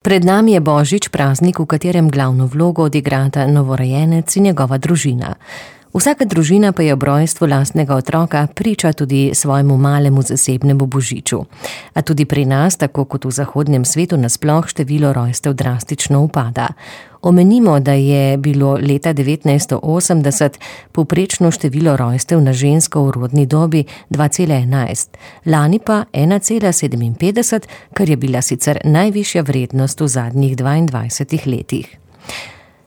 Pred nami je Božič, praznik, v katerem glavno vlogo odigrata novorojenec in njegova družina. Vsaka družina pa je ob rojstvu lastnega otroka priča tudi svojemu malemu zasebnemu božiču. A tudi pri nas, tako kot v zahodnem svetu nasploh, število rojstev drastično upada. Omenimo, da je bilo leta 1980 povprečno število rojstev na žensko v rodni dobi 2,11, lani pa 1,57, kar je bila sicer najvišja vrednost v zadnjih 22 letih.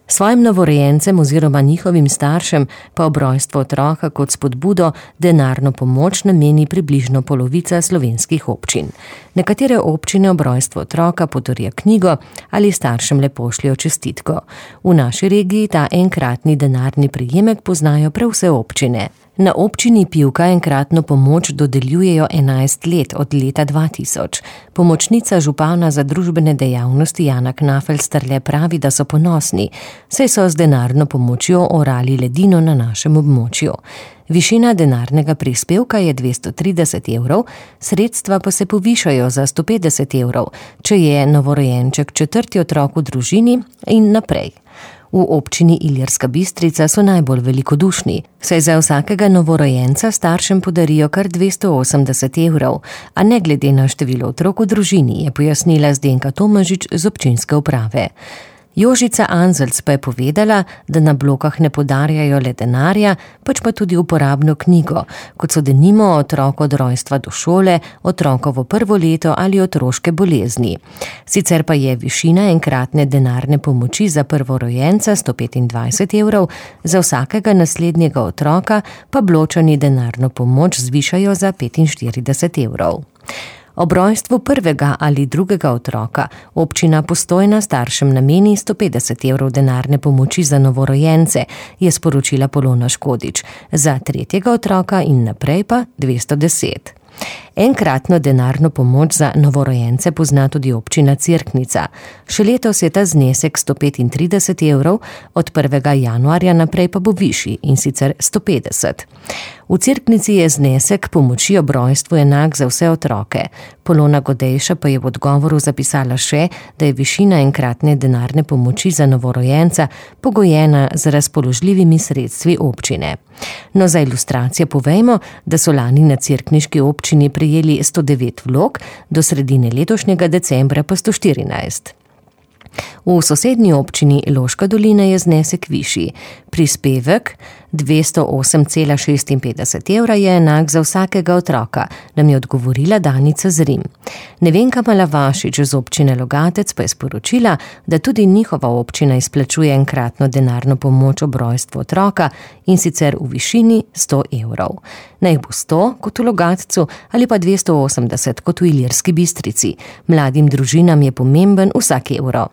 Svojim novorojencem oziroma njihovim staršem pa ob rojstvu otroka kot spodbudo denarno pomoč nameni približno polovica slovenskih občin. Nekatere občine ob rojstvu otroka podarijo knjigo ali staršem le pošljejo čestitko. V naši regiji ta enkratni denarni prejemek poznajo prav vse občine. Na občini Pivka enkratno pomoč dodeljujejo 11 let, od leta 2000. Pomočnica župana za družbene dejavnosti Jana Knafelsterle pravi, da so ponosni, saj so z denarno pomočjo orali ledino na našem območju. Višina denarnega prispevka je 230 evrov, sredstva pa se povišajo za 150 evrov, če je novorojenček četrti otrok v družini in naprej. V občini Ilirska Bistrica so najbolj velikodušni, saj za vsakega novorojenca staršem podarijo kar 280 evrov, a ne glede na število otrok v družini, je pojasnila Zdenka Tomažič z občinske uprave. Jožica Anzelc pa je povedala, da na blokah ne podarjajo le denarja, pač pa tudi uporabno knjigo, kot so denimo otrok od rojstva do šole, otrokovo prvo leto ali otroške bolezni. Sicer pa je višina enkratne denarne pomoči za prvorojenca 125 evrov, za vsakega naslednjega otroka pa Bločani denarno pomoč zvišajo za 45 evrov. Ob rojstvu prvega ali drugega otroka občina Postojna staršem nameni 150 evrov denarne pomoči za novorojence, je sporočila Polona Škodič, za tretjega otroka in naprej pa 210. Enkratno denarno pomoč za novorojence pozna tudi občina Cerknica. Še letos je ta znesek 135 evrov, od 1. januarja naprej pa bo višji, in sicer 150. V Cerknici je znesek pomoči ob rojstvu enak za vse otroke. Polona Godejša pa je v odgovoru zapisala še, da je višina enkratne denarne pomoči za novorojenca pogojena z razpoložljivimi sredstvi občine. No, za ilustracijo povejmo, da so lani na cerkniški občini prejeli 109 vlog, do sredine letošnjega decembra pa 114. V sosednji občini Loška dolina je znesek višji. Prispevek 208,56 evra je enak za vsakega otroka, nam je odgovorila Danica Zrim. Nevenka Malavašič z občine Logatec pa je sporočila, da tudi njihova občina izplačuje enkratno denarno pomoč ob rojstvu otroka, in sicer v višini 100 evrov. Naj bo 100 kot v Logatcu ali pa 280 kot v Ilirski Bistrici. Mladim družinam je pomemben vsak evro.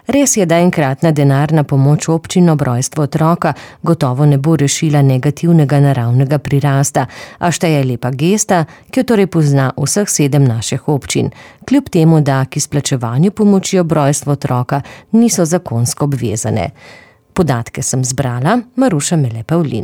Res je, da enkratna denarna pomoč občin ob rojstvu otroka gotovo ne bo rešila negativnega naravnega prirasta, a šteje lepa gesta, ki jo torej pozna vseh 7 naših občin, kljub temu, da k izplačevanju pomoči ob rojstvu otroka niso zakonsko obvezane. Podatke sem zbrala, Maruša Mele Pavlin.